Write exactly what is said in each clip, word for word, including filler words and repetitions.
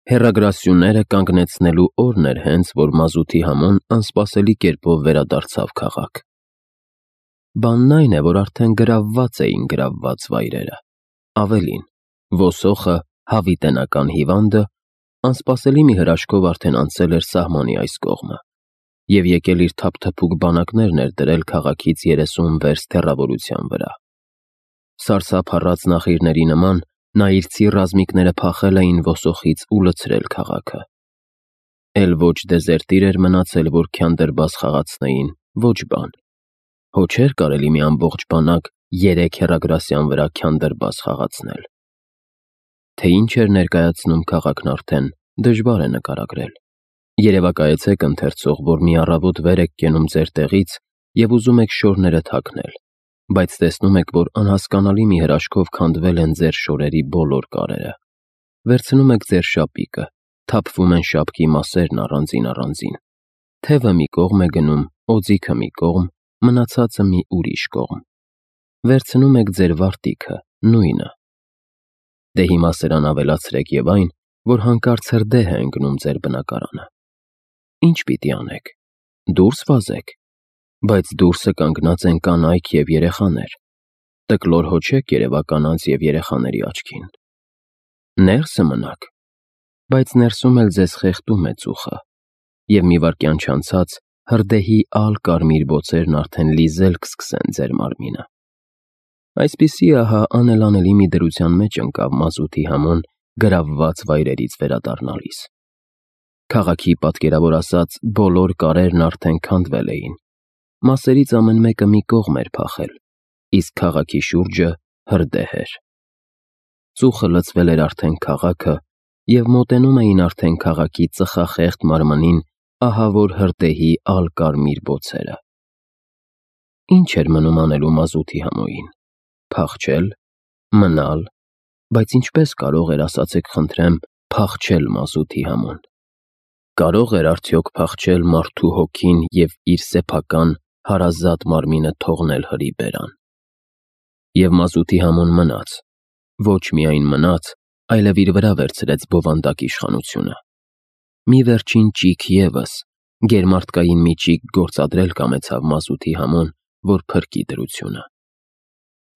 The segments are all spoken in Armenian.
Հեռագրասյուները կանգնեցնելու օրն էր հենց, որ մազութի համոն անսպասելի կերպով վերադարձավ քաղաք։ Բանն այն է, որ արդեն գրավված էին գրավված վայրերը։ Ավելին, ոսոխը, հավիտենական հիվանդը, անսպասելի մի հրաշքով արդեն անցել էր սահմանի այս կողմը և եկել իր թափթփուկ բանակներն էր դրել քաղաքից երեսուն վերստ հեռավորության վրա։ Սարսափառած նախիրների նման նա իր ցի ռազմիկները փախել էին ոսոխից ու լցրել քաղաքը։ Էլ ոչ դեզերտիր էր մնացել, որ քյանդրբաս խաղացնեին, ոչ բան։ Հո չէր կարելի մի ամբողջ բանակ երեք հեռագրասյան վրա քյանդրբաս խաղացնել։ Թե ինչ էր ներկայացնում քաղաքն արդեն, դժվար է նկարագրել։ Երևակայեցեք ընթերցող, որ մի առավոտ վեր եք կենում ձեր տեղից և ուզում եք շորները թաքնել, բայց տեսնում եք, որ անհասկանալի մի հրաշքով քանդվել են ձեր շորերի բոլոր կարերը։ Վերցնում եք ձեր շապիկը, թափվում են շապքի մասերն առանձին-առանձին։ Թևը մի կողմ է գնում, օձիքը մի կողմ, մնացածը մի ուրիշ կողմ։ Վերցնում եք ձեր վարտիքը, նույնը։ Դե հիմա սրան ավելացրեք և այն, որ հանկարծ հրդեհ է ընկնում ձեր բնակարանը։ Ինչ պիտի անեք։ Դուրս վազեք։ Բայց դուրսը կանգնած են կանայք և երեխաներ։ Տկլոր հո չեք երևա կանանց և երեխաների աչքին։ Ներսը մնաք։ Բայց ներսում էլ ձեզ խեղդում է ծուխը, և մի վայրկյան չանցած հրդեհի ալ-կարմիր բոցերն արդեն լիզել կսկսեն ձեր մարմինը։ Այսպիսի ահա անելանելի մի դրության մեջ ընկավ մազութի համոն գրավված վայրերից վերադառնալիս։ Քաղաքի պատկերավոր ասած բոլոր կարերն արդեն քանդվել էին։ Մասերից ամեն մեկը մի կողմ էր փախել, իսկ քաղաքի շուրջը հրդեհ էր։ Ծուխը լցվել էր արդեն քաղաքը և մոտենում էին արդեն քաղաքի ծխախեղդ մարմնին ահավոր հրդեհի ալ-կարմիր բոցերը։ Ինչ էր մնում անելու մազութի համոյին։ Փախչել, մնալ, բայց ինչպես կարող էր, ասացեք խնդրեմ, փախչել մազութի համոն։ Կարո՞ղ էր արդյոք փախչել մարդու հոգին և իր սեփական հարազատ մարմինը թողնել հրի բերան։ Եվ մազութի համոն մնաց, ոչ միայն մնաց, այլև իր վրա վերցրեց բովանդակ իշխանությունը։ Մի վերջին ճիգ ևս, գերմարդկային մի ճիգ գործադրել կամեցավ մազութի համոն, որ փրկի դրությունը։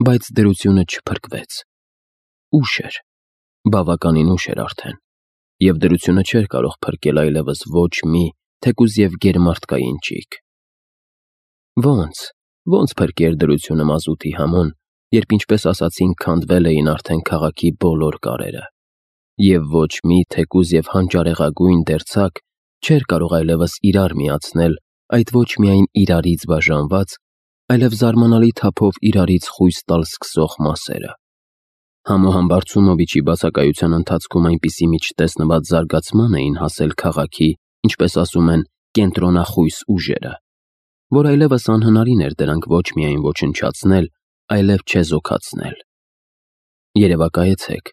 Բայց դրությունը չփրկվեց։ Ուշ էր, բավականին ուշ էր արդեն, և դրությունը չէր կարող փրկել այլևս ոչ մի, թեկուզ և գերմարդկային ճիգ։ Ոնց, ոնց փրկեր դրությունը մազութի համոն, երբ ինչպես ասացինք քանդվել էին արդեն քաղաքի բոլոր կարերը, և ոչ մի, թեկուզ և հանճարեղագույն դերձակ չէր կարող այլևս իրար միացնել այդ ոչ միայն իրարից բաժանված, այլև զարմանալի թափով իրարից խույս տալ սկսող մասերը։ Համոհամբարձումովիչի բացակայության ընթացքում այնպիսի մի չտեսնված զարգացման էին հասել քաղաքի, ինչպես ասում են, կենտրոնախույս ուժերը, որ այլևս անհնարին էր դրանք ոչ միայն ոչնչացնել, այլև չեզոքացնել։ Երևակայեցեք,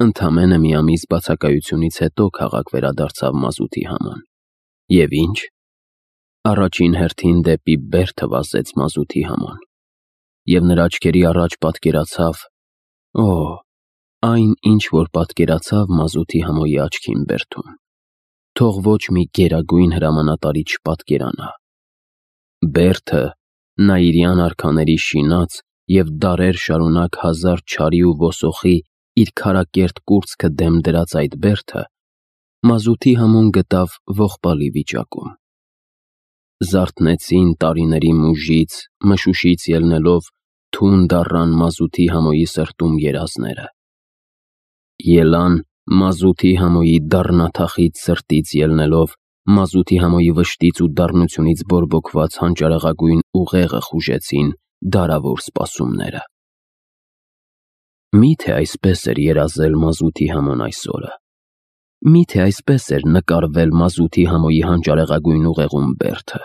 ընդամենը մի ամիս բացակայությունից հետո քաղաք վերադարձավ մազութի համոն։ Եվ ինչ։ Առաջին հերթին դեպի բերդը վազեց մազութի համոն, և նրա աչքերի առաջ պատկերացավ, օ, այն, ինչ որ պատկերացավ մազութի համոյի աչքին բերդում, թող ոչ մի գերագույն հրամանատարի չպատկերանա։ Բերդը նաիրյան արքաների շինած և դարեր շարունակ հազար չարի ու ոսոխի իր քարակերտ կուրծքը դեմ դրած այդ բերդը մազութի համոն գտավ ողբալի վիճակում։ Զարթնեցին տարիների մուժից, մշուշից ելնելով թունդ առան մազութի համոյի սրտում երազները։ Ելան մազութի համոյի դառնաթախիծ սրտից ելնելով մազութի համոյի վշտից ու դառնությունից բորբոքված հանճարեղագույն ուղեղը խուժեցին դարավոր սպասումները։ Մի՞թե այսպես էր երազել մազութի համոն այս օրը։ Մի՞թե այսպես էր նկարվել մազութի համոյի հանճարեղագույն ուղեղում բերդը։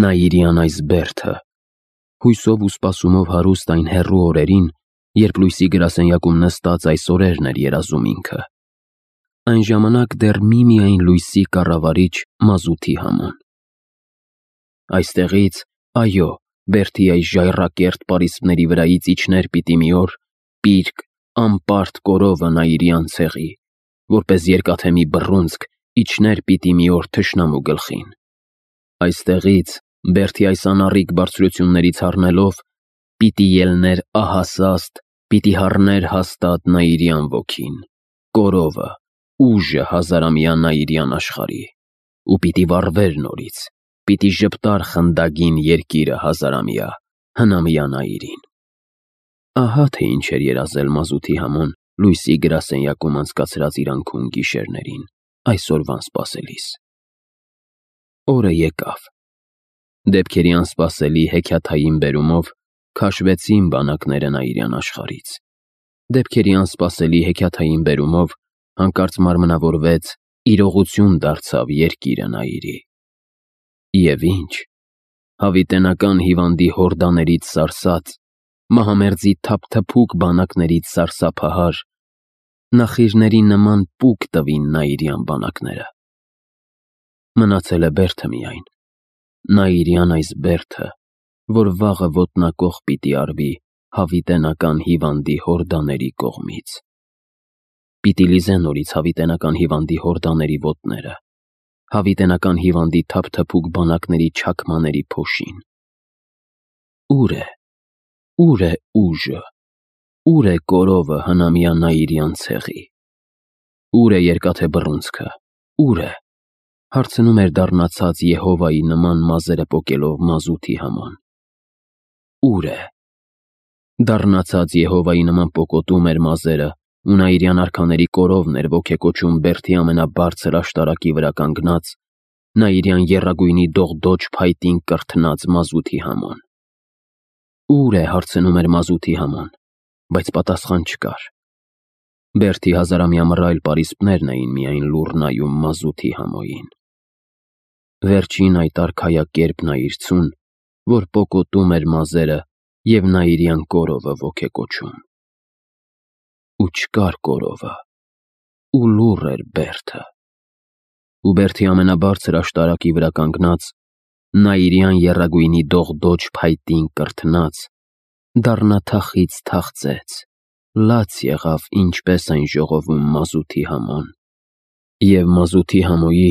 Նաիրյան այս բերդը, հույսով ու սպասումով հարուստ այն հեռու օրերին, երբ լույսի գրասենյակում նստած այս օրերն էր երազում ինքը։ Այն ժամանակ դեռ միմիայն լույսի կառավարիչ մազութի համոն։ Այստեղից, այո, բերդի այս ժայռակերտ պարիսպների վրայից իջներ պիտի մի օր պիրկ, անպարտ կորովը նաիրյան ցեղի, որպես երկաթե մի բռունցք իջներ պիտի մի օր թշնամու գլխին։ Այստեղից, Բերդի այս անառիկ բարձրություններից առնելով, պիտի ելներ ահասաստ, պիտի հառներ հաստատ Նաիրյան ոգին, կորովը, ուժը հազարամյա Նաիրյան աշխարհի, ու պիտի վառվեր նորից, պիտի ժպտար խնդագին երկիրը հազարամյա, հնամյա Նաիրին։ Ահա թե ինչ էր երազել մազութի Համոն լույսի գրասենյակում անցկացրած իր անքուն գիշերներին, այսօրվան սպասելիս։ Օրը եկավ։ Դեպքերի անսպասելի հեքիաթային բերումով քաշվեցին բանակները Նաիրյան աշխարհից։ Դեպքերի անսպասելի հեքիաթային բերումով հանկարծ մարմնավորվեց, իրողություն դարձավ երկիրը Նաիրի։ Եվ ինչ, հավիտենական հիվանդի հորդաներից սարսած, մահամերձի թափթփուկ բանակներից սարսափահար, նախիրների նման պուկ տվին Նաիրյան բանակները։ Մնացել է Բերդը միայն, Նաիրյան այս Բերդը, որ վաղը ոտնակոխ պիտի արվի հավիտենական հիվանդի հորդաների կողմից։ Պիտի լիզե նորից հավիտենական հիվանդի հորդաների ոտները, հավիտենական հիվանդի թափթփուկ բանակների չաքմաների փոշին։ Ուր է, ուր է ուժը, ուր է կորովը հնամյա Նաիրյան ցեղի։ Ուր է երկաթե բռունցքը, ուր է, հարցնում էր դառնացած Եհովայի նման մազերը պոկելով մազութի Համոն։ Ուր է։ Դառնացած Եհովայի նման պոկոտում էր մազերը, ու Նաիրյան արքաների կորովն էր ոգեկոչում Բերդի ամենաբարձր աշտարակի վրա կանգնած, Նաիրյան եռագույնի դողդոջ փայտին կրթնած մազութի Համոն։ Ուր է, հարցնում էր մազութի Համոն, բայց պատասխան չկար։ Բերդի հազարամյա մռայլ պարիսպներն էին միայն լուռ նայում մազութի Համոյին։ Վերջին այդ արքայակերպն այրցուն, որ պոկոտում էր մազերը և Նաիրյան կորովը ոգեկոչում։ Ու չկար կորովը, ու լուռ էր Բերդը։ Ու Բերդի ամենաբարձր աշտարակի վրա կանգնած, Նաիրյան եռագույնի դողդոջ փայտին կրթնած, դառնաթախից թախծեց, լաց եղավ ինչպես այն ժողովում մազութի Համոն։ Եվ մազութի Համոյի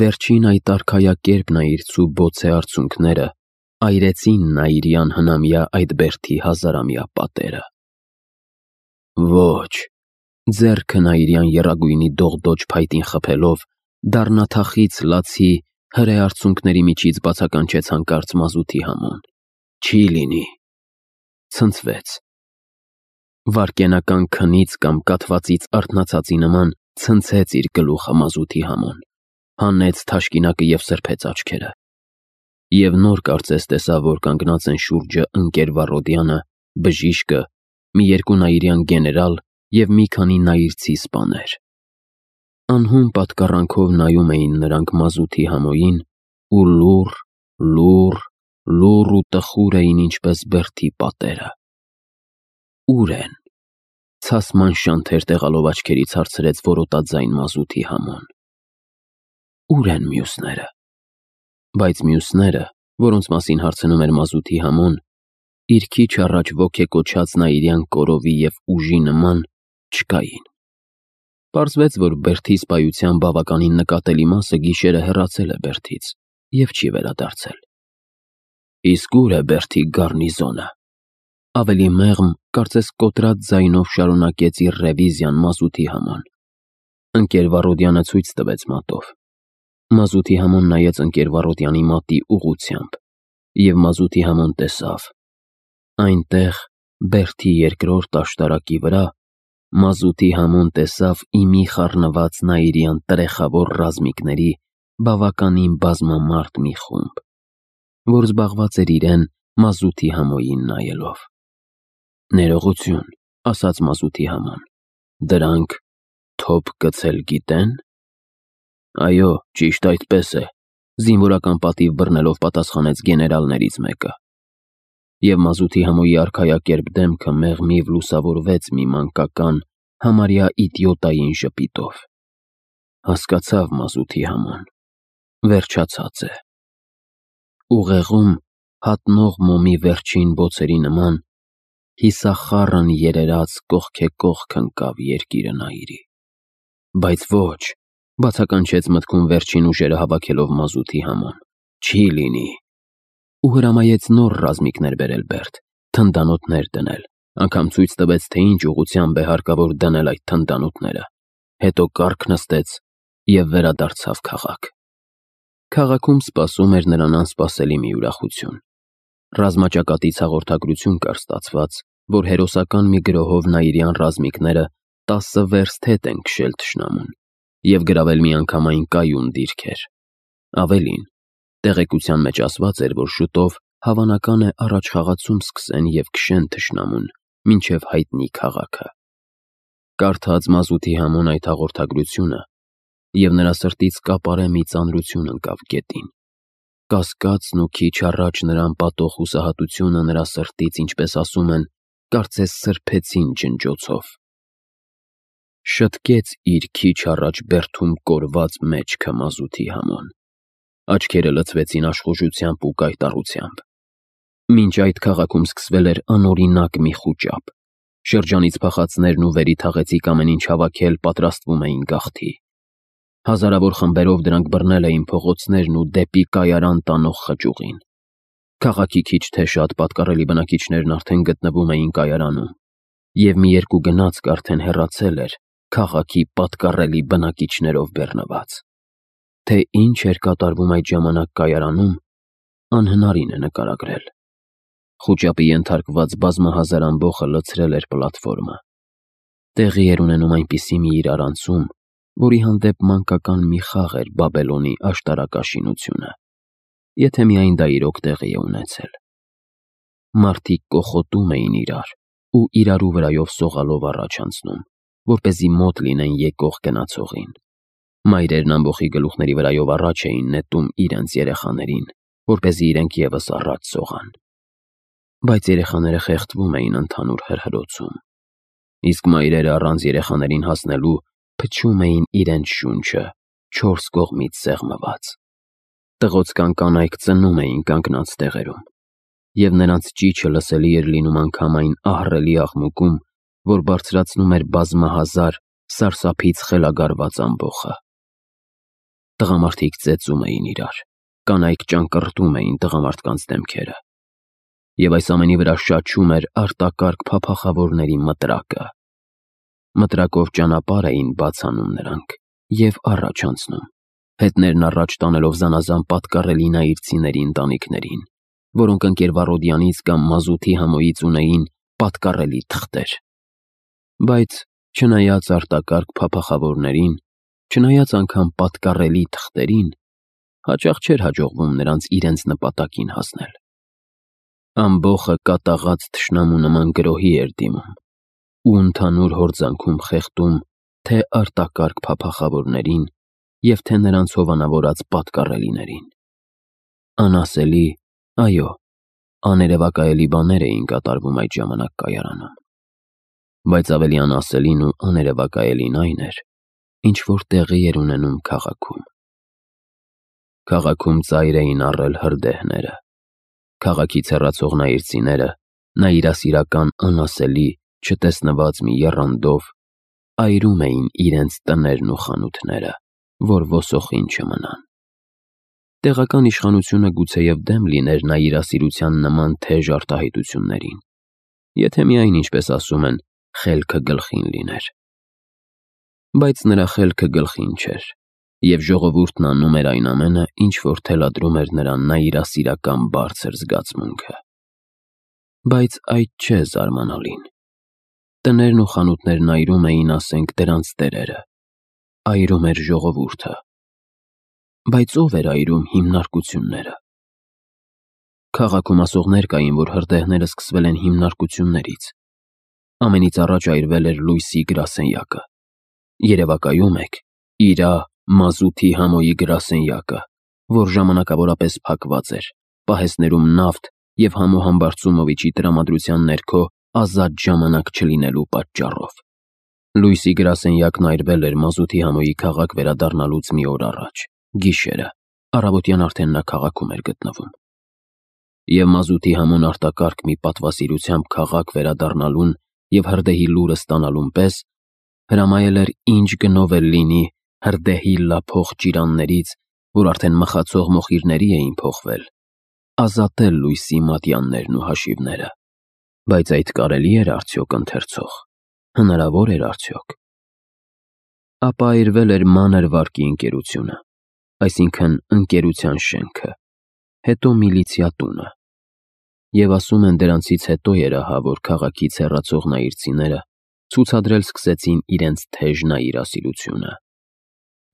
վերջին այդ արքայակերպն այրցու բոցե արցունքները այրեցին Նաիրյան հնամյա այդ Բերդի հազարամյա պատերը։ Ոչ, ձեռքը Նաիրյան եռագույնի դողդոջ փայտին խփելով, դառնաթախից լացի հրե արցունքների միջից բացականչեց հանկարծ մազութի Համոն։ Չի լինի։ Ցնցվեց։ Վարկենական քնից կամ կաթվածից արթնացածի նման ցնցեց իր գլուխը մազութի Համոն, հանեց թաշկինակը և սրբեց աչքերը։ Եվ նոր կարծես տեսավ, որ կանգնած են շուրջը ընկեր Վառոդյանը, բժիշկը, մի երկու Նաիրյան գեներալ և մի քանի նայիրցի սպաներ։ Անհուն պատկառանքով նայում էին նրանք մազութի Համոյին ու լուռ, լուռ, լուռ ու տխուր էին ինչպես Բերդի պատերը։ Ուր են, ցասման շանթեր տեղալով աչքերից հարցրեց որոտաձայն մազութի Համոն։ Ուր են մյուսները։ Բայց մյուսները, որոնց մասին հարցնում էր մազութի Համոն, իր քիչ առաջ ոգեկոչած Նաիրյան կորովի և ուժի նման չկային։ Պարզվեց, որ Բերդի սպայության բավականին նկատելի մասը գիշերը հեռացել է Բերդից և չի վերադարձել։ Իսկ ուր է Բերդի գառնիզոնը։ Ավելի մեղմ, կարծես կոտրած ձայնով շարունակեց իր ռևիզիան մազութի Համոն։ Ընկեր Վառոդյանը ցույց տվեց մատով։ Մազութի Համոն նայեց ընկեր Վառոդյանի մատի ուղղությամբ, և մազութի Համոն տեսավ։ Այնտեղ, Բերդի երկրորդ աշտարակի վրա, մազութի Համոն տեսավ իմի խառնված Նաիրյան տրեխավոր ռազմիկների բավականին բազմամարդ մի խումբ, որ զբաղված էր իրեն մազութի Համոյին նայելով։ Ներողություն, ասաց մազութի Համոն, դրանք թոփ գցել գիտե՞ն։ Այո, ճիշտ այդպես է, զինվորական պատիվ բռնելով պատասխանեց գեներալներից մեկը։ Եվ մազութի Համոյի արքայակերպ դեմքը մեղմիվ լուսավորվեց մի մանկական, համարյա իդիոտային ժպիտով։ Հասկացավ մազութի Համոն, վերջացած է։ Ուղեղում հատնող մոմի վերջին բոցերի նման հիսախառն երերած կողքեկողք ընկավ երկիրը Նաիրի։ Բայց ոչ, բացականչեց մտքում վերջին ուժերը հավաքելով մազութի համոն։ Չի լինի։ Ու հրամայեց նոր ռազմիկներ բերել Բերդ, թնդանոթներ դնել, անգամ ցույց տվեց, թե ինչ ուղղությամբ է հարկավոր դնել այդ թնդանոթները։ Հետո կառք նստեց և վերադարձավ քաղաք։ Քաղաքում սպասում էր նրան անսպասելի մի ուրախություն։ Ռազմաճակատից հաղորդագրություն կար ստացված, որ հերոսական մի գրոհով նաիրյան ռազմիկները տասը վերստ հետ են քշել թշնամուն և գրավել միանգամայն կայուն դիրքեր։ Ավելին, տեղեկության մեջ ասված էր, որ շուտով հավանական է առաջխաղացում սկսեն և քշեն թշնամուն, մինչև հայտնի քաղաքը։ Կարդաց մազութի համոն այդ հաղորդագրությունը, և նրա սրտից կապարե մի ծանրություն ընկավ գետին։ Կասկածն ու քիչ առաջ նրան պատող հուսահատությունը նրա սրտից, ինչպես ասում են, կարծես սրբեցին ջնջոցով։ Շտկեց իր քիչ առաջ բերդում կորված մեջքը մազութի համոն։ Աչքերը լցվեցին աշխուժությամբ ու կայտառությամբ։ Մինչ այդ քաղաքում սկսվել էր անօրինակ մի խուճապ։ Շրջանից փախածներն ու վերի թաղեցիկ ամեն ինչ հավաքել պատրաստվում էին գաղթի։ Հազարավոր խմբերով դրանք բռնել էին փողոցներն ու դեպի կայարան տանող խճուղին։ Քաղաքի քիչ թե շատ պատկառելի բնակիչներն արդեն գտնվում էին կայարանում, և մի երկու գնացք արդեն հեռացել էր քաղաքի պատկառելի բնակիչներով բեռնված։ Թե ինչ էր կատարվում այդ ժամանակ կայարանում, անհնարին է նկարագրել։ Խուճապի ենթարկված բազմահազար ամբոխը լցրել էր պլատֆորմը։ Տեղի էր ունենում այնպիսի մի իրարանցում, որի հանդեպ մանկական մի խաղ էր Բաբելոնի աշտարակաշինությունը, եթե միայն դա իրոք տեղի է ունեցել։ Մարդիկ կոխոտում էին իրար ու իրարու վրայով սողալով առաջ անցնում, որպեսզի մոտ լինեն եկող գնացողին։ Մայրերն ամբոխի գլուխների վրայով առաջ էին նետում իրենց երեխաներին, որպեսզի իրենք ևս առաջ սողան։ Բայց երեխաները խեղդվում էին ընդհանուր հրհրոցում, իսկ մայրերը առանց երեխաներին հասնելու փչում էին իրենց շունչը, չորս կողմից սեղմված։ Տղոցկան կանայք ծնում էին կանգնած տեղերում, և նրանց ճիչը լսելի էր լինում անգամ այն ահռելի աղմուկում, որ բարձրացնում էր բազմահազար սարսափից խելագարված ամբոխը։ Տղամարդիկ ծեծում էին իրար, կանայք ճանկռտում էին տղամարդկանց դեմքերը, և այս ամենի վրա շաչում էր արտակարգ փափախավորների մտրակը։ Մտրակով ճանապարհ էին բաց անում նրանք և առաջ անցնում, հետներն առաջ տանելով զանազան պատկառելի նայիրցիների ընտանիքներին, որոնք ընկերվառոդյանից կամ մազութի համոյից ունեին պատկառելի թղթեր։ Բայց չնայած արտակարգ փափախավորներին, չնայած անգամ պատկառելի թղթերին, հաճախ չէր հաջողվում նրանց իրենց նպատակին հասնել։ Ամբոխը կատաղած թշնամու նման գրոհի էր դիմում ու ընդհանուր հորձանքում խեղդում թե արտակարգ փափախավորներին և թե նրանց հովանավորած պատկառելիներին։ Անասելի, այո, աներևակայելի բաներ էին կատարվում այդ ժամանակ կայարանում։ Բայց ավելի անասելին ու աներևակայելին այն էր, ինչ որ տեղի էր ունենում քաղաքում։ Քաղաքում ծայր էին առել հրդեհները։ Քաղաքից հեռացող նայիրցիները նայիրասիրական անասելի, չտեսնված մի եռանդով այրում էին իրենց տներն ու խանութները, որ ոսոխին չմնան։ Տեղական իշխանությունը գուցեև դեմ լիներ նայիրասիրության նման թեժ արտահայտություններին, եթե միայն, ինչպես ասում են, խելքը գլխին լիներ։ Բայց նրա խելքը գլխին չէր, և ժողովուրդն անում էր այն ամենը, ինչ որ թելադրում էր նրան նայիրասիրական բարձր զգացմունքը։ Բայց այդ չէ զարմանալին։ Տներն ու խանութներն այրում էին, ասենք, դրանց տերերը, այրում էր ժողովուրդը։ Բայց ո՞վ էր այրում հիմնարկությունները։ Քաղաքում ասողներ կային, որ հրդեհները սկսվել են հիմնարկություններից։ Ամենից առաջ այրվել էր լույսի գրասենյակը։ Երևակայում եք իրա մազութի համոյի գրասենյակը, որ ժամանակավորապես փակված էր, պահեսներում նավթ և Համո Համբարձումովիչի տրամադրության ներքո ազատ ժամանակ չլինելու պատճառով։ Լույսի գրասենյակն այրվել էր մազութի համոյի քաղաք վերադառնալուց մի օր առաջ, գիշերը, առավոտյան արդեն նա քաղաքում էր գտնվում։ Եվ մազութի համոն արտակարգ մի պատվասիրությամբ քաղաք վերադառնալուն և հրդեհի լուրը ստանալուն պես հրամայել էր ինչ գնով էլ լինի հրդեհի լափող ճիրաններից, որ արդեն մխացող մոխիրների էին փոխվել, ազատել լույսի մատյաններն ու հաշիվները, բայց այդ կարելի էր արդյոք ընթերցող, հնարավոր էր արդյոք։ Ապա այրվել էր մանր վարկի ընկերությունը, այսինքն ընկերության շենքը, հետո միլիցիա տունը, և ասում են դրանցից հետո էր ահա, որ քաղաքից հեռացող նայիրցիները ցուցադրել սկսեցին իրենց թեժ նայիրասիրությունը,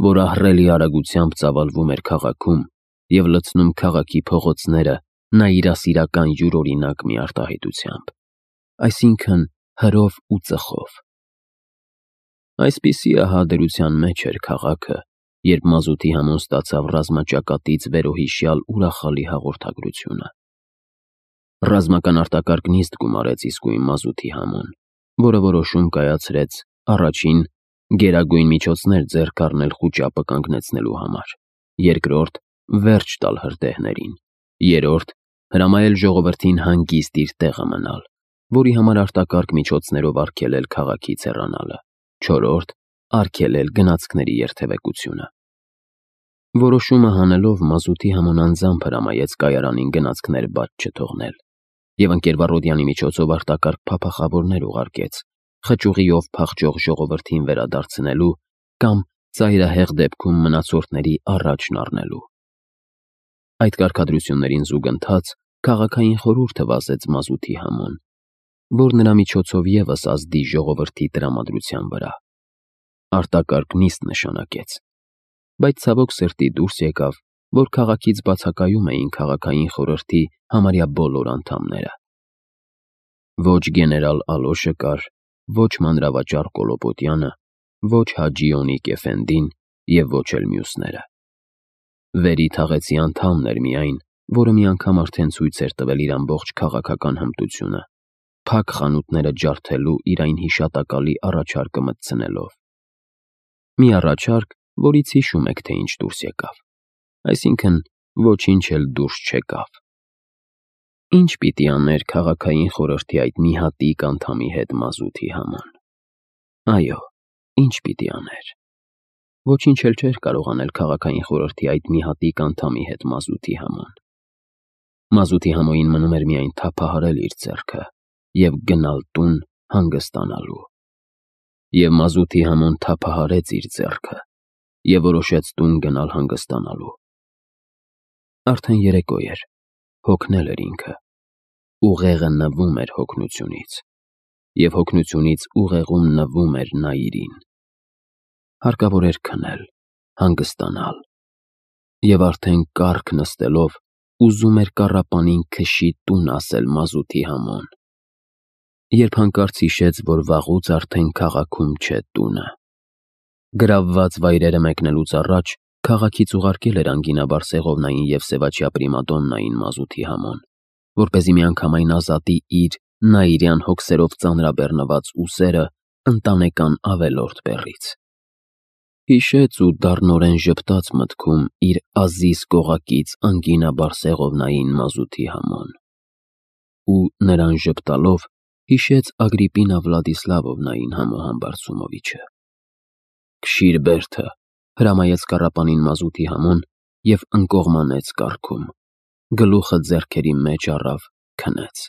որ ահռելի արագությամբ ծավալվում էր քաղաքում և լցնում քաղաքի փողոցները նայիրասիրական յուրօրինակ մի արտահայտությամբ, այսինքն հրով ու ծխով։ Այսպիսի ահա դրության մեջ էր քաղաքը, երբ մազութի համոն ստացավ ռազմաճակատից վերոհիշյալ ուրախալի հաղորդագրությունը։ Ռազմական արտակարգ նիստ գումարեց իսկույն մազութի համոն, որը որոշում կայացրեց առաջին գերագույն միջոցներ ձեռք առնել խուճապը կանգնեցնելու համար, երկրորդ վերջ տալ հրդեհներին, երրորդ հրամայել ժողովրդին հանգիստ իր տեղը մնալ, որի համար արտակարգ միջոցներով արգելել քաղաքից հեռանալը, չորրորդ արգելել գնացքների երթևեկությունը։ Որոշումը հանելով մազութի համոն անձամբ հրամայեց կայարանին գնացքներ բաց չթողնել և ընկերվառոդյանի միջոցով արտակարգ փափախավորներ ուղարկեց, խճուղիով փախչող ժողովրդին վերադարձնելու կամ ծայրահեղ դեպքում մնացորդների առաջն առնելու։ Այդ կարգադրություններին զուգընթաց քաղաքային խորհուրդը վազեց մազութի համոն, որ նրա միջոցով ևս ազդի ժողովրդի տրամադրության վրա։ Արտակարգ նիստ նշանակեց, բայց ցավոք սրտի դուրս եկավ, որ քաղաքից բացակայում էին քաղաքային խորհրդի համարյա բոլոր անդամները։ Ոչ գեներալ Ալոշը կար, ոչ մանրավաճառ Կոլոպոտյանը, ոչ Հաջի Օնիկ Էֆենդին և ոչ էլ մյուսները։ Վերի թաղեցի անդամն էր միայն, որը մի անգամ արդեն ցույց էր տվել իր ամբողջ քաղաքական հմտությունը, փակ խանութները ջարդելու իր այն հիշատակալի առաջարկը մտցնելով։ Մի առաջարկ, որից հիշում եք, թե ինչ դուրս եկավ, այսինքն ոչինչ էլ դուրս չեկավ։ Ինչ պիտի աներ քաղաքային խորհրդի այդ մի հատիկ անդամի հետ մազութի համոն։ Այո, ինչ պիտի աներ։ Ոչինչ էլ չէր կարող անել քաղաքային խորհրդի այդ մի հատիկ անդամի հետ մազութի համոն։ Մազութի համոյին մնում էր միայն թափահարել իր ձեռքը և գնալ տուն հանգստանալու։ Եվ մազութի համոն թափահարեց իր ձեռքը և որոշեց տուն գնալ հանգստանալու։ Արդեն երեկո էր, հոգնել էր ինքը, ուղեղը նվում էր հոգնությունից, և հոգնությունից ուղեղում նվում էր նայիրին։ Հարկավոր էր քնել, հանգստանալ, և արդեն կառք նստելով ուզում էր կառապանին քշի տուն ասել մազութի համոն, երբ հանկարծ հիշեց, որ վաղուց արդեն քաղաքում չէ տունը։ Գրավված վայրերը մեկնելուց առաջ քաղաքից ուղարկել էր անգինաբար Սեղովնային և Սևաչյա պրիմադոննային մազութի համոն, որպեսզի միանգամայն ազատի իր նայիրյան հոգսերով ծանրաբեռնված ուսերը ընտանեկան ավելորդ բեռից։ Հիշեց ու դառնորեն ժպտաց մտքում իր Ազիզ կողակից անգինաբար Սեղովնային մազութի համոն։ Ու նրան ժպտալով հիշեց Ագրիպինա Վլադիսլավովնային Համոհան Բարսումովիչը։ «Քշիր բերդը», հրամայեց կառապանին մազութի համոն և ընկողմանեց կառքում, գլուխը ձեռքերի մեջ առավ, քնեց։